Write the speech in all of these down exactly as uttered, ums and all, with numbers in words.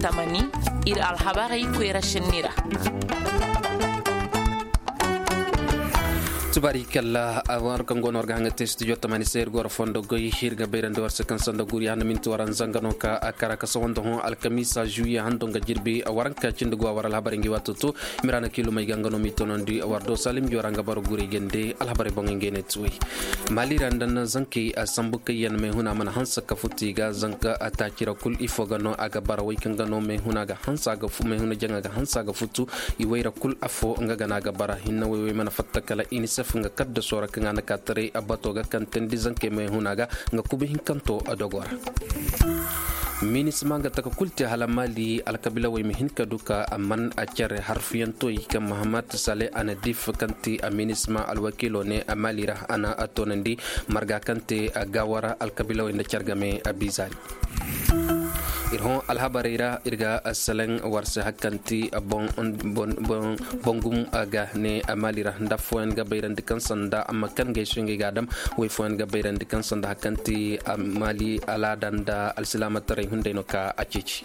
Tamani, ir alhabarey koyra šenni ra. Tubaari kalla a war kaŋ go no war ga haŋa te studio tamani se ir goro fondo goy ir ga bayrandi war se kaŋ sanda guri handa minti waranza nga no ka a kara ka sawanda hõ alkamiisa juwiye hando nga jirbi waranka cindi go a war alhabarey ngi waato to. Miraana kiilumey ga nga no m'i tonandi war do salim jora nga boro gurey gande alhabarey boŋey ngey ne tuwey. Mali ra nda na zankey a sambu kaŋ yaŋ meehuna mana hanse ka futu i ga zanka a taaci ra kul ifo ga no a ga bara wey kaŋ ga no meehuna ga hanse a ga fu meehuna jaŋa ga hanse a ga futu. I wayra kul afo nga ga no a ga bara hinne wey wey mana fatta kala inisef nga kadda soora kaŋ a na ka taray a bato ga kaŋ teendi zankey meehuna ga nga kuba hinkanto a dogo ra. Minisma nga taka kul te hala mali alkabiilawey ma hin ka du ka a man a care harfiyantoy kaŋ mahamat sale a na dif kaŋ te a minisma alwakiilo ne a mali ra a na a toonandi marga kaŋ te a gaawara alkabiilawey nda care game a biizaari. Ir hõ alhabarey ra ir ga seleŋ war se hari kaŋ ti boŋ boŋ boŋ boŋ gum ga ne a mali ra nda affooyaŋ ga bayrandi kaŋ sanda amma kaŋ gay se ngey ga a dam. Way fooyaŋ ga bayrandi kaŋ sanda hari kaŋ ti a mali alaada nda alsilaamataray hunday no ka a ceeci.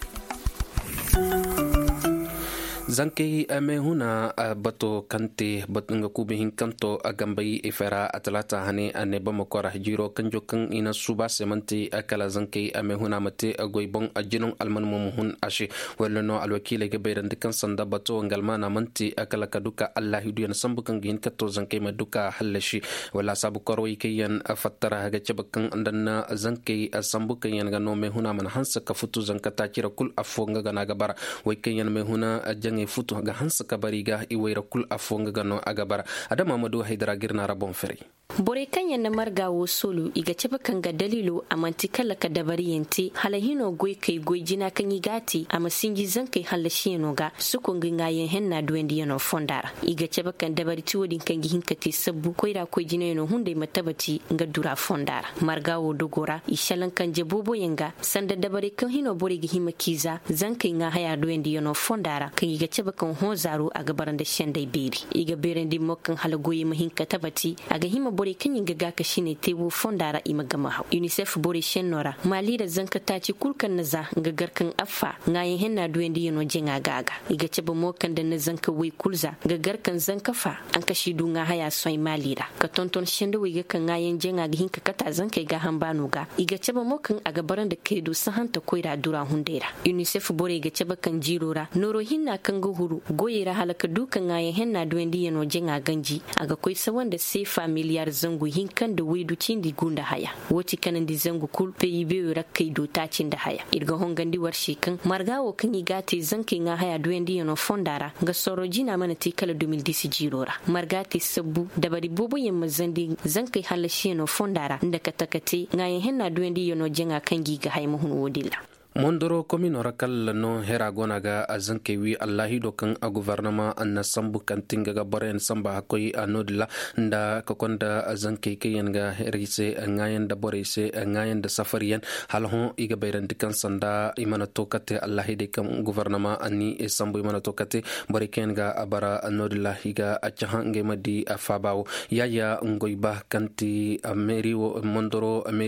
Zankey meehuna bato kaŋ te nga kuuba hinkanto a gambay ifera a talaata hane a ne bamako ra jiiro kanjo kaŋ i na suuba se manti kala zankey meehuna ma te goy boŋ jinaŋ alman mo ma hun a se. Walla no alwakiiley ga bayrandi kaŋ sanda bato nga almaana manti kala ka du ka allahidu yaŋ sambu kaŋ ga hin ka to zankey ma du ka hallasi. Walla a saabu korwey kaŋ yaŋ fattara ga cabe kaŋ nda na zankey sambu kaŋ yaŋ ga no meehuna mana hanse ka futu zanka taaci ra kul affo nga ga no a ga bara. Wey kaŋ yaŋ meehuna jaŋey futu ga hanse ka bari ga i wayra kul affo nga ga no a ga bara. Adama ma du haydara ga ir na ra boŋ ferey. Borey kaŋ yaŋ na marga wo soolu i ga cabe kaŋ ga daliilo a manti kala ka dabariyaŋ te hala hino goykey goy jina kaŋ i g'a te a ma sinji zankey hallasiyaŋo ga soko nga ŋaayaŋ henna duwandiyaŋo fonda ra. I ga cabe kaŋ dabari ti wo-din kaŋ ga hin ka te sabbu koyra koy jinayaŋo hunday ma tabati nga dura fonda ra. Marga wo dogo ra i šalaŋ kanje booboyaŋ ga sanda dabarey kaŋ hino borey ga hima k'i za zankey ŋaahaya duwandiyaŋo fonda ra kaŋ i ga cabe kaŋ hõ zaaro a ga bara nda sendey beeri. I ga beerandi mo kaŋ hala goyey ma hin ka tabati a ga hima borey kaŋ yaŋ ga gaakasiney te wo fonda ra i ma gama haw unicef borey senno ra maali ra zanka taaci kul kaŋ na za nga gar kaŋ affa ŋaayaŋ henna duwandiyaŋo jaŋa ga a ga. I ga cabe mo kaŋ da na zanka woy kul za nga gar kaŋ zanka fa ankasi du ŋaahaya sohãy maali ra ka tonton sendawey ga kaŋ ŋaayaŋ jaŋa ga hin ka kate a zankey gaaham baano ga i ga cabe mo kaŋ a ga bara nda kaydu sahanta koyra dura hunday ra. Unicef borey ga cabe kaŋ jiiro ra nooro hinna kaŋ ga huru goyey ra hala ka du ka ŋaayaŋ henna duwandiyaŋo jaŋa ganji a ga koy sawa nda seefa miliyar zangu hinka nda waydu cindi gu nda haya. Wo ti kanandi zangu kul peyi beyo ra kay do taaci nda haya ir ga hongandi war se kaŋ marga wo kaŋ i g'a te zankey ŋaahaya duwandiyaŋo fonda ra nga sorro jina mana te kala dumil disi jiiro ra marga te sabbu dabari booboyaŋ ma zandi zankey hallasiyano fonda ra nda kate kate ŋaayaŋ henna duwendiyano jaŋa kaŋ gi ga hay ma hun wo-din ra. Mondoro komino ra kala no hera go no a ga a zankey wi allahido kaŋ a gofornama na sambu kaŋ ti nga ga boroyaŋ samba hakkoy a no-din ra nda ka konda zankey kaŋ yaŋ ga hera i se ŋaayaŋ nda borey se ŋaayaŋ nda safariyaŋ. Hala hõ i ga bayrandi kaŋ sanda i mana to kate allahidey kaŋ gofornama ni sambu i mana to kate borey kaŋ yaŋ ga a bara no-din ra i ga a cahã ngey ma di a faaba wo. Yaya ngoy ba kaŋ ti meeri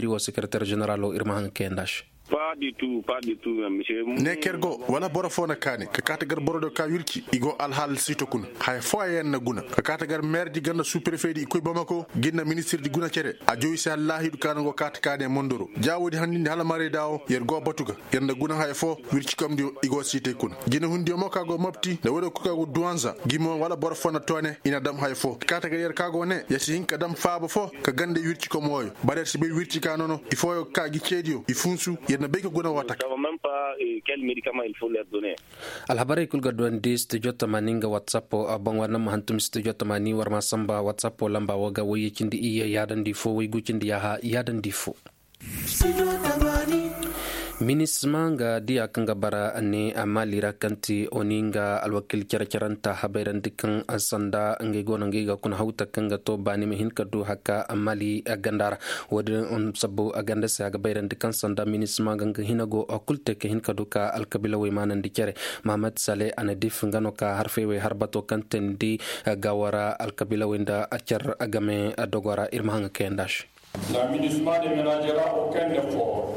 wo sekereter ženeralo ir ma haŋ ga kayandi a se. Ne ker go wala boro fo na kaani ka kaati gar boro do ka wirci i go alhaal siito kuna haya fooyaŋ na guna ka kaati gar meerdi ganda suuprefedi i koy bamako gin na ministirdi guna cere a jow i se allaahidu ka na go kaati kaani mondoro ja woodi handindi hala marayda wo yer go batu ga yer na guna haya fo wircikomdiyo i go siitay kuna jinahundi yo mo ka go mopti nda woodi kul ka go duwanza gi mo wala boro fo na toone i na dam haya fo ka kaati gar yer ka go ne yer si hin ka dam faaba fo ka ganda wircikom wooyo bara yer si bay wirci ka nono i fooyo ga ka gi ceediyo i funsu yer na bay ka guna woo taka. Alhabarey kul ga duwandi studio tamani nga whatsapp boŋ war na ma hantum studio tamani war ma samba whatsapp lamba wo ga wayye cindi iyye yaadandi fo waygu cindi yaaha yaadandi fo. Minisma nga diya kaŋ ga bara ne a mali ra kaŋ ti oni nga alwakil care-caranta habayrandi kaŋ sanda ngey go no ngey ga kuna hawta kaŋ ga to baani ma hin ka du haka a mali ganda ra. Wo-din sabbu a ganda se a ga bayrandi kaŋ sanda minisma ga nga hina go a kul te ka hin ka du ka alkabiilawey maanandi care. Mahamat sale a na dif nga no ka harfey wey har bato kaŋ teendi gaawara alkabiilawey nda care game dogo ra ir ma haŋ ga kayandi a se.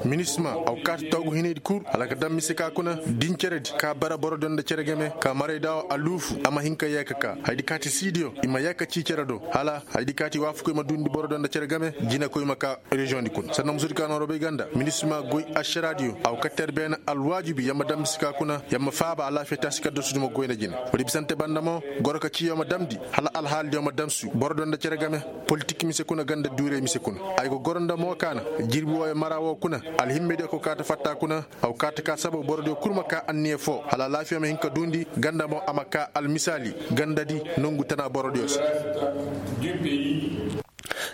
Minisma aw kaati toogu hinaydi kul hala ka daŋ mise ka kuna din ceredi ka bara borodiyo nda cere game ka marayda wo a luufu a ma hin ka yee ka ka haydi kaati siidiyo i ma yee ka cii cere do hala haydi kaati waafukoy ma duundi borodiyo nda cere game. Jinekoy ma ka reziyoŋdi kuna sanda musudi ka nooro bay ganda minisma goy ašaraadiyo aw ka ter beene alwaajibi yer ma daŋ mise ka kuna yer ma faaba alaafiya taasi kaddasudi ma goy nda jine. Woodi bisante banda mo goro ka ciiyo ma damndi hala alhaalidiyo ma damsu borodiyo nda cere game. Politik mise kuna ganda duurey mise kuna ay go goro nda mo kaana jirbi wooyo mara woo kuna alhimmediyo ko kaata fatta kuna. Aw kaata ka sababu borodiyo kul ma kaa anniya foo hala alaafiya ma hin ka duundi ganda mo a ma kaa almisaali gandadi nongu tana borodiyo se.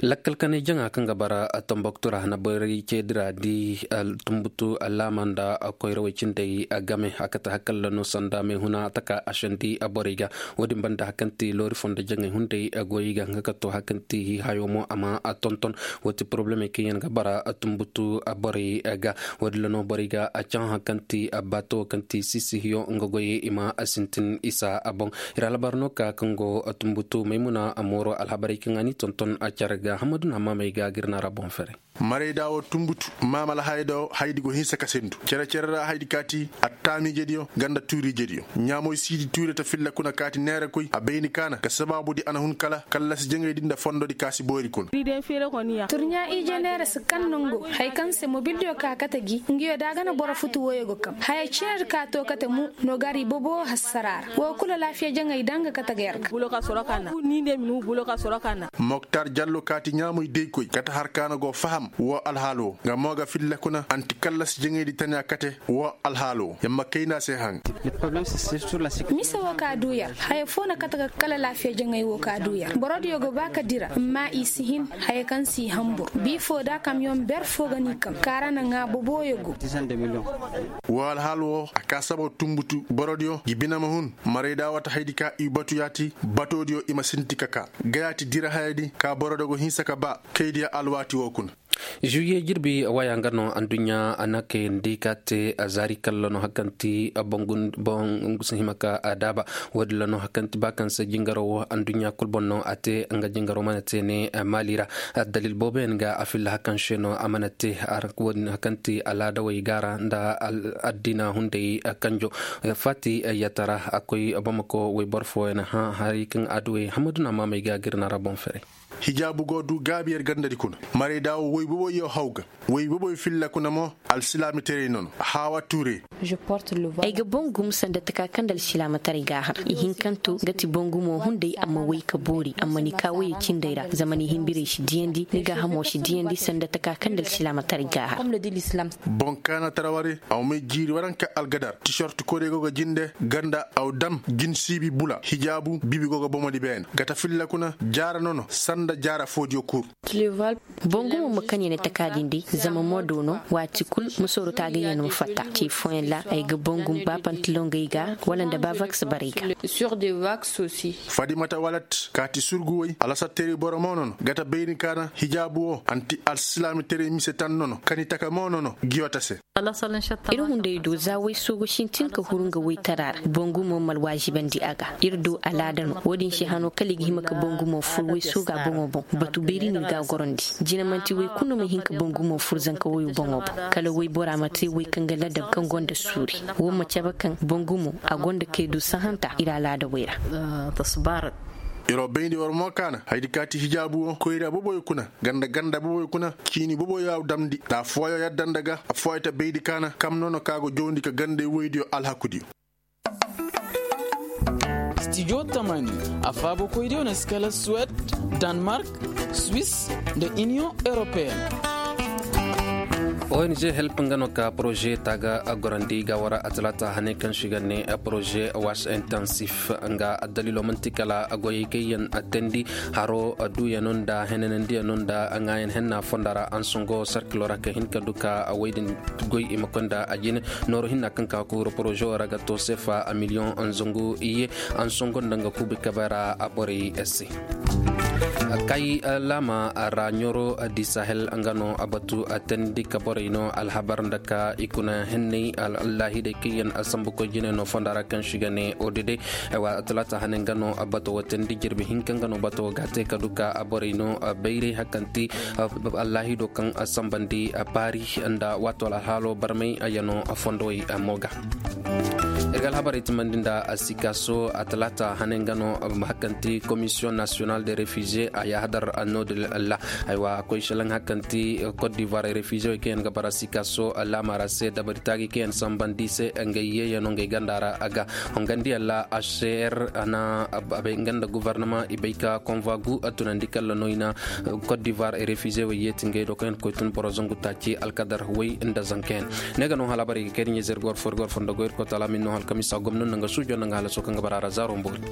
Lakkal kanay jaŋa kaŋ ga bara tomboktu ra na borey ceedi ra di tumbutu alaama nda koyrawey cindey game a kate hakalla no sanda meehuna taka ašandi borey ga. Wo-din banda hakanti loori fondo jaŋey hunday goyey ga nga ka to hakanti hihayo mo a ma tonton. Wo ti porobulemey kaŋ yaŋ ga bara tumbutu borey ga. Wo-din ra no borey ga caŋ hakanti baato kaŋ ti sisihiyo nga goyey i ma sintin isa boŋ. Ir alhabar no ka kaŋ go tumbutu maymuna mooro alhabarey kaŋ a ni tonton a care ga hammadu na maamey ga ga ir na ra boŋ fere. Marayda wo tumbutu maamala hayda wo haydi go hinsa ka sendu cere-cere ra haydi kaati attaamiijediyo ganda tuuriijediyo. Ɲaamoy siidi tuure ta filla kuna kaati neerakoy a bayni kaana ka sabaabudi a na hun kala kallasi jaŋaydi nda fondodi kaasi boori kuna. Turɲaa ije neera si kaŋ nango haya kaŋ se mobildiyo ka kate gi ngiyo da a ga na boro futu woyo ga kam haya cinedi ka to kate mo. No gari bobo hassara ra wo kulu alaafiya jaŋay da nga kate ga yar ga. Moktar jallo kaati ɲaamoy daykoy kate har ka na go faham wo alhaalo wo nga mo ga filla kuna anti kallasi jaŋaydi tana kate wo alhaalo wo yer ma kayna se haŋ. Mise wo ka du yar haya foo na kate ga kala laafiya jaŋay wo ka du yar borodiyo go ba ka dira amma i si hin haya kaŋ si hambur bi foo da kamyoŋ ber foo ga ni kam kaara na ŋaa boboyo go. Wo alhaal wo a ka sabaw tumbutu borodiyo ngi bine ma hun. Marayda wata haydi ka i batu yaati batoodiyo i ma sinti ka ka ga yaati dira hayadi ka borodiyo go hinsa ka ba kaydiya alwaati wo kuna. Juwiye jirbi waya nga no anduɲɲa a na kayandi ka te zaari kalla no hakanti bongu si hima ka daaba. Wo-din ra no hakanti ba kaŋ se jingaro wo anduɲɲa kul boŋ no a te nga jingaro mana te ne maali ra. Addalil booboyaŋ ga a filla hakan se no a mana te. Wo-din hakanti alaadawey gaara nda addina hunday kanjo faati yatara a koy bamako wayboro fooyaŋ hã hari kaŋ adduwey hammadu na maamey ga ga ir na ra boŋ fere. Hijaabu go du gaabi yer gandadi kuna. Marayda wo woy boboyyo haw ga woy boboy filla kuna mo. Alsilaamitaray nono haawa ture. Ay ga boŋ gumo sanda taka kaŋ nda alsilaamataray ga a har ihinkanto ga ti boŋ gumo hunday amma woy ka boori amma ni ka woyey cindey ra zama ni hinbirey si diyandi ni gaahamo si diyandi sanda taka kaŋ nda alsilaamataray ga a har. Boŋ kaana tara ware aw may jiiri waranka algadar tisorti korey go ga jinde ganda aw dam jinsiibi bula hijaabu bibi go ga bomodi beene gata filla kuna jaara nono sanda jaara foodiyo kul. Boŋ gumo ma kani ne takaadindi zama moodo no waati kul ma sooro taagayaŋ ma fatta ce fooyaŋ ra ay ga boŋ gumo ba pantalongey ga wala nda ba vaks barey ga. Fadimata walat kaati surguwey alasatteeri boro mo nono gata bayni kaana hijaabu wo anti alsilaamitaray mise tan nono kani taka mo nono giyota se. Ir hunday do za way soogo sintin ka huru nga waytara ra boŋ gumo ma alwaazibandi a ga. Ir do alaada no wo-din se hano kala i ga hima ka boŋ gumo fur way sooga boŋo boŋ. Batu beeri no ir ga a gorandi. Jina manti way kulu no ma hin ka boŋ gumo fur zanka wayo boŋo boŋ kala waybora ma te way kaŋ ga ladab kaŋ gonda suuri. Wo ma cabe kaŋ boŋ gumo a gonda kay du sahanta ir alaada way ra. Iro bayndi war mo kaana haydi kaati hijaabu wo koyra boboyo kuna ganda ganda boboyo kuna ciini boboyo a damndi nda affooyo yadda nda ga affooyo ta baydi kaana kam nono ka go jowndi ka gandey woydiyo alhakudiyo. Stijo tamani a faabokoydiyo na si kala suwed, danmark, swis, nda iniyoŋ europeen. Ong help nga no ka poroze taaga gorandi ga wara a talaata hane kaŋ si ga ne poroze was intensif nga addalilo manti kala goyey kaŋ yaŋ teendi haro duuyano nda henanandiyano nda ŋaayan henna fonda ra ansongo sarkilo ra ka hin ka du ka wey din goy i ma koy nda a jine. Nooru hinna kaŋ ka kuuru poroze wo ra ga to seefa miliyoŋ zangu iyye. Ansongo nda nga kuubi kabe ra a borey se. Kay laama ra ɲoro di sahel nga no a batu a teendi ka borey no alhabar nda ka i kuna henney. Allaahidey kaŋ yaŋ sambukoy jine no fonda ra kaŋ si ga ne odede. Aywa talaata hane nga no bato wo teendi jirbi hinka nga no bato wo ga te ka du ka borey no bayray hakanti. Allaahido kaŋ sambandi paari nda waato alhaalo barmay yano fondowey mo ga. Ir ga alhabarey timandi nda sikaso a talaata hane nga no hakanti commission national de refugee a yahadar annodil la. Aywa a koy shalaŋ hakanti cote d'ivoire refugee wey kaŋ yaŋ ga bara sikaso laama ra se dabari taagi kaŋ yaŋ sambandi se ngey yeeyano ngey ganda ra a ga hongandi yalla a se er a na abay nga nda gouvernement i bay ka konva gu a tunandi kalla no i na cote d'ivoire refugee wey yeeti ngey do kaŋ yaŋ koy tun boro zangu taaci alkadar wey nda zanka yaŋ. Ne ga no hala bara i ga kay da ɲezer gor fo ir gor fo nda goy ir koy taala min no halkamisa gomno nanga suujo nanga hala so kaŋ ga bara ra zaaro mboori.